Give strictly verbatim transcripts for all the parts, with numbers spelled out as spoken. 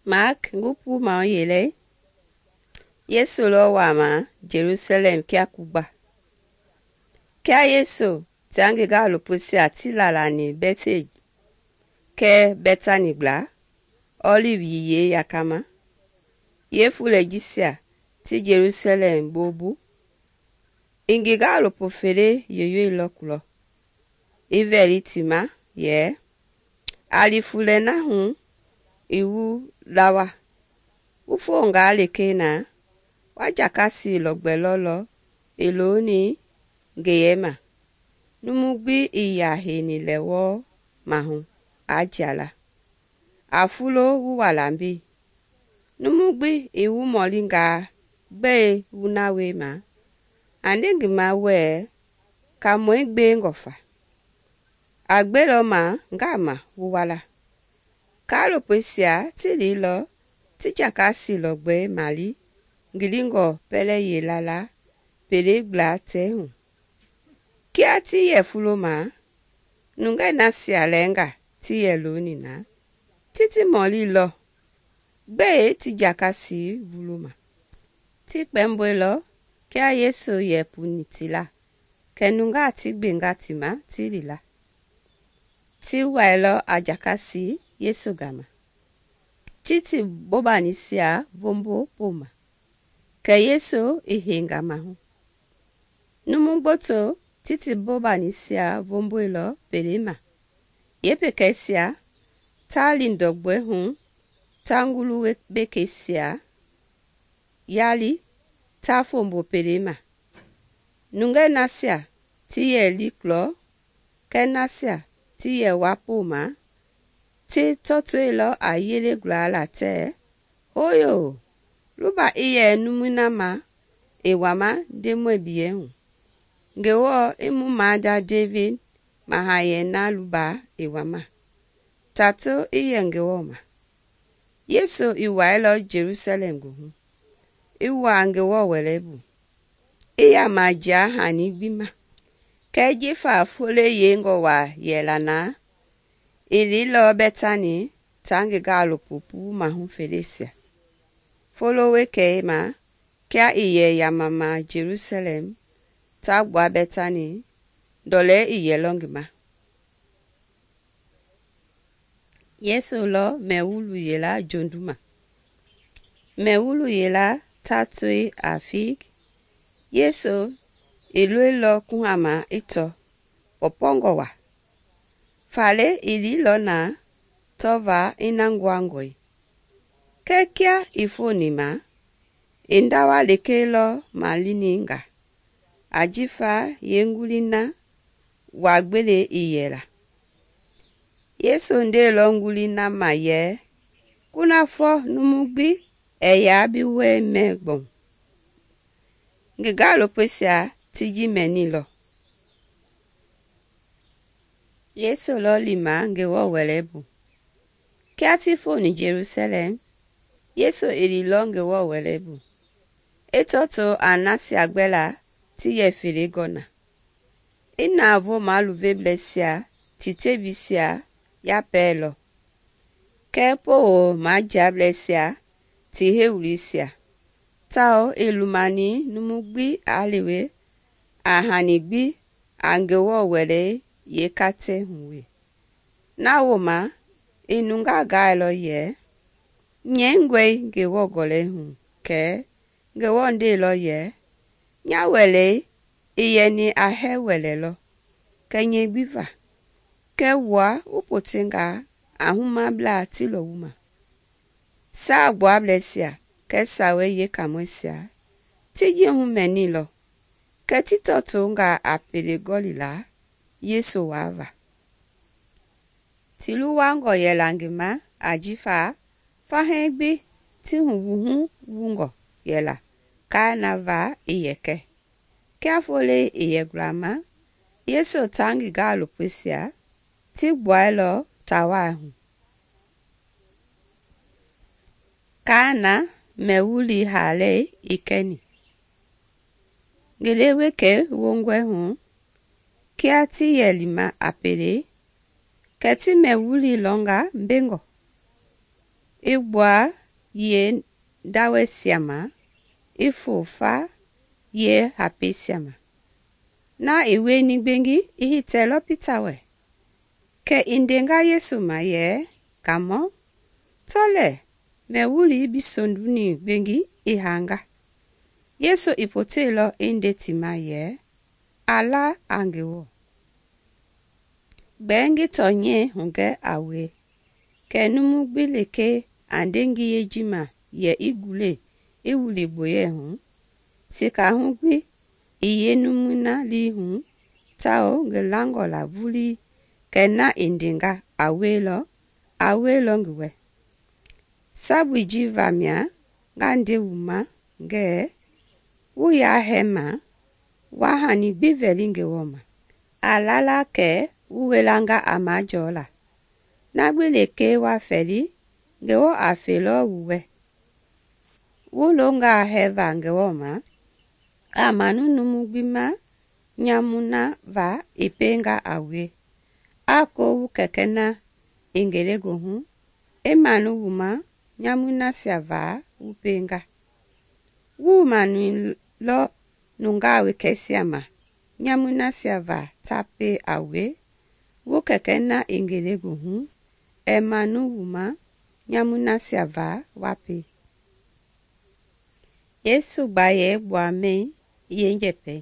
Mark ngupu ma yele Yesu lɔ wama Jerusalem kia kugba. Kia Yesu tia ngi gaalopoisia ti lalani Bethage kɛɛ Betani gbla, Olive yiyei yakama, yeefulei jisia ti Jerusalem boobu, i ngi gaalopo fele yoyoilɔ kulɔ, i vɛli ti ma yɛ, “A li fulei na hu i wu lawa, wu fongaa lekee na, wa jakasi lɔgbɛ lɔlɔ i looni ngeyema, numu gbi ii yaa heini lɛ wɔɔ mahu aa jia la. A fulo wu wa la mbei. Numu gbi i wu mɔlingaa gbɛe wu na wiema, a nde ngi ma wɛɛ, ‘Kaamɔi gbengɔ fa.’ A gbelɔ ma ngama wu wa la.” Kaalopoisia ti liilɔ ti jakasi lɔgbɛi mali ngilingɔ pɛlɛ yila la pelei gbla tɛɛ hu. Kia ti yɛ fulo ma, nungei nasia lɛɛnga ti yɛ looni na, ti ti mɔlilɔ gbɛe ti jakasi vuloma. Ti kpɛmboilɔ kia Yesu yɛ puni ti la, kɛ nungaa ti gbenga ti ma ti li la. Ti wailɔ a jakasi Yesu gama, ti ti bobanisia vombo poma, kɛ Yesu i heinga mahu. Numu gboto ti ti bobanisia vomboilɔ pelei ma, yeepekɛisia ta li ndɔgbɔi hu ta ngulu bekeisia yali ta fombo pelei ma. Nungei nasia ti yɛ liiklɔ kɛɛ nasia ti yɛ wa poma ti tɔtoilɔ a yele gulala tɛɛ, “Hooyo, luba i yɛ numui na ma i wama Ndemɔi biyɛi hu. Ngewɔ i mu maada Devidi mahayɛi na luba i wama. Tatu i yɛ Ngewɔ ma.” Yesu i wailɔ Jelusalɛm goohu, i wuaa Ngewɔ Wɛlɛbu, i yaama jia hani gbi ma. Kɛɛ jifa foloi yeingɔ waa yɛla na, i liilɔ Betani taa ngi gaalopo puu mahu feleisia. Folo wekei ma kia i yɛ yamama Jelusalɛm ta gbua Betani, ndɔlei i yɛlɔ ngi ma. Yesu lɔ mɛwulu yela jonduma. Mɛwulu yela ta toe a fig. Yesu i loilɔ kuhama i tɔ pɔpɔngɔ wa. Faale i liilɔ na tɔva i na nguangɔe. Kɛɛ kia i foni ma, i ndawa lekee lɔ malini nga, ajifa yeenguli na waa gbele i yɛla. Yesu ndeelɔ nguli na ma yɛ, “Kunafɔ numu gbi ɛɛ yaa bi wɛi mɛ gbɔu.” Ngi gaalopoisia ti ji mɛnilɔ. Yesu lɔ lima Ngewɔ Wɛlɛbu. Kia ti foni Jerusalɛm, Yesu i liilɔ Ngewɔ Wɛlɛbu, i tɔto a nasia gbɛla ti yɛ fele gɔ na, i navoo maluveblɛisia ti tebisia yapɛɛlɔ, kɛɛ poo majiablɛisia ti hewulisia, tawao i lumani numu gbi aa lewe a hani gbi a Ngewɔ Wɛlei yeekatɛ hu we. Na wooma i nungaa gaailɔ yɛ, “Nyɛingɔe Ngewɔ Gɔlɛi hu,” kɛɛ Ngewɔ ndeelɔ yɛ, “Nya wɛlei i yɛni a hɛɛ wɛlɛ lɔ, kɛ nyɛi gbi va, kɛɛ wua wu potengaa a humablaa ti lɔ wu ma.” Saagbuablɛisia kɛɛ Sawei Yeekaamɔisia ti ji humɛnilɔ, kɛ ti tɔtonga a pele gɔlila Yesu waava. Ti luwangɔ yɛla ngi ma ajifa fahɛɛ gbi ti huwuhu wungɔ yɛla kaa na va i yɛ kɛ. Kia foloi i yɛ gulama, Yesu taa ngi gaalopoisia ti gbuailɔ tawaa hu. Kaana mɛwuli haalei i kɛni. Ngele wekei wongɔi hu, kia ti yɛ lima a pele, kɛ ti mɛwuli lɔnga mbengɔ. i gbua yee ndawɛisia ma, i fofa yee hapeisia ma. Na i wieni gbengi i hitɛlɔ Pita wɛ. Kɛ i ndenga Yesu ma yɛ, Kaamɔ, tɔ lɛɛ mɛ wulii bi sonduni gbengi i haanga. Yesu i poteilɔ i nde ti ma yɛ, a la a Ngewɔ. Gbɛɛ ngi tɔnyɛi hugɛ a wue, kɛ numu gbi lekee a nde ngiyei ji ma yɛ i gule i wili gboyei hu, sikahu gbi i yeenumui na lii hu tawao ngi langɔ la vulii kɛ na i ndenga a wielɔ, a wielɔ ngi wɛ. Sabui ji vamia nga nde wu ma ngɛɛ, wu yaa hɛɛma, wa hani gbi vɛli Ngewɔ ma. A lala kɛ wu welanga a majɔɔla. Na gbi lekee wa fɛli, Ngewɔ a felɔ wu wɛ. Wu longaa hɛɛva Ngewɔ ma, a manu numu gbi ma nyamu na va i pienga a wue. A ko wu Kɛkɛ na i ngelegoohu i manu wu ma nyamui nasia va wu pienga. Wuu manuilɔ nungaa wekɛisia ma nyamui nasia va ta pie a wue, wu Kɛkɛ na i ngelegoohu ɛɛ manu wu ma nyamui nasia va wa pie. Yesu gbayei gbuamɛi yeenjɛpɛi.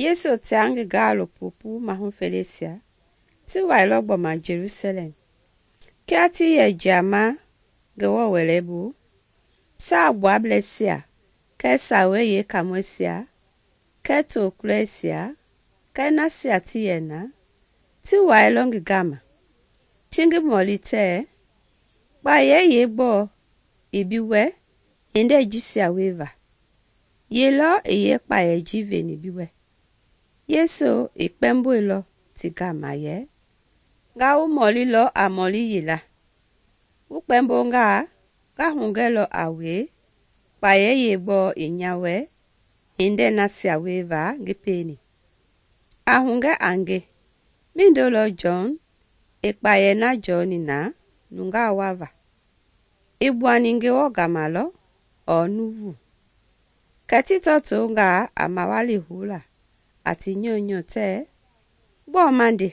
Yesu tia ngi gaalopo puu mahu feleisia ti wailɔ gbɔma Jelusalɛm. Kia ti yɛ jiama Ngewɔ Wɛlei bu, Saagbuablɛisia kɛɛ Sawei Yeekaamɔisia kɛɛ tokulɔisia kɛɛ nasia ti yɛ na, ti wailɔ ngi gama, ti ngi mɔli tɛɛ, kpayei yeegbɔɔ i bi wɛ hindei jisia wieva? Ye lɔ i yeekpayei ji veni bi wɛ? Yesu i kpɛmboilɔ ti gama yɛ, nga wu mɔlilɔ a mɔli yila. Wu kpɛmbongaa, nga hugɛlɔ a wue kpayei yeegbɔɔ i nya wɛ hindei nasia wieva ngi pieni. A hugɛ a nge, mindo lɔ Jɔn i kpayei na jɔɔni na nungaa wava? I gbuani Ngewɔ gama lɔ ɔɔ nuuvu? Kɛ ti tɔtongaa a mawali houla a ti nyɔunyɔ tɛɛ, gbɔɔ ma nde?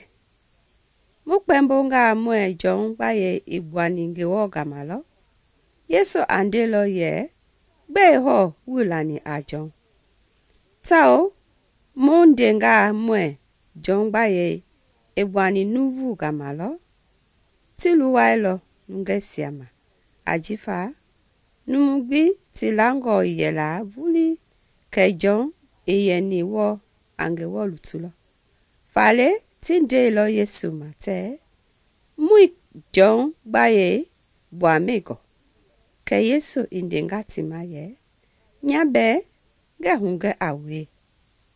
Mu kpɛmbongaa muɛɛ Jɔn gbayei i gbuani Ngewɔ gama lɔ? Yesu a ndelɔ yɛ, gbɛe hɔɔ wuii lani a Jɔn? Tawao mu ndengaa muɛɛ Jɔn gbayei i gbuani nuuvu gama lɔ? Ti luwailɔ nungɛisia ma, ajifa numu gbi ti langɔ i yɛla vulii kɛ Jɔn i yɛni wɔɔ a Ngewɔ lutulɔ. Faale ti ndeilɔ Yesu ma tɛɛ, muii Jɔn gbayei gbuamɛi gɔ. Kɛ Yesu i ndenga ti ma yɛ, nya bɛɛ ngɛɛ hugɛ a wue,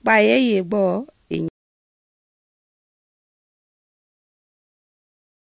kpayei yeegbɔɔ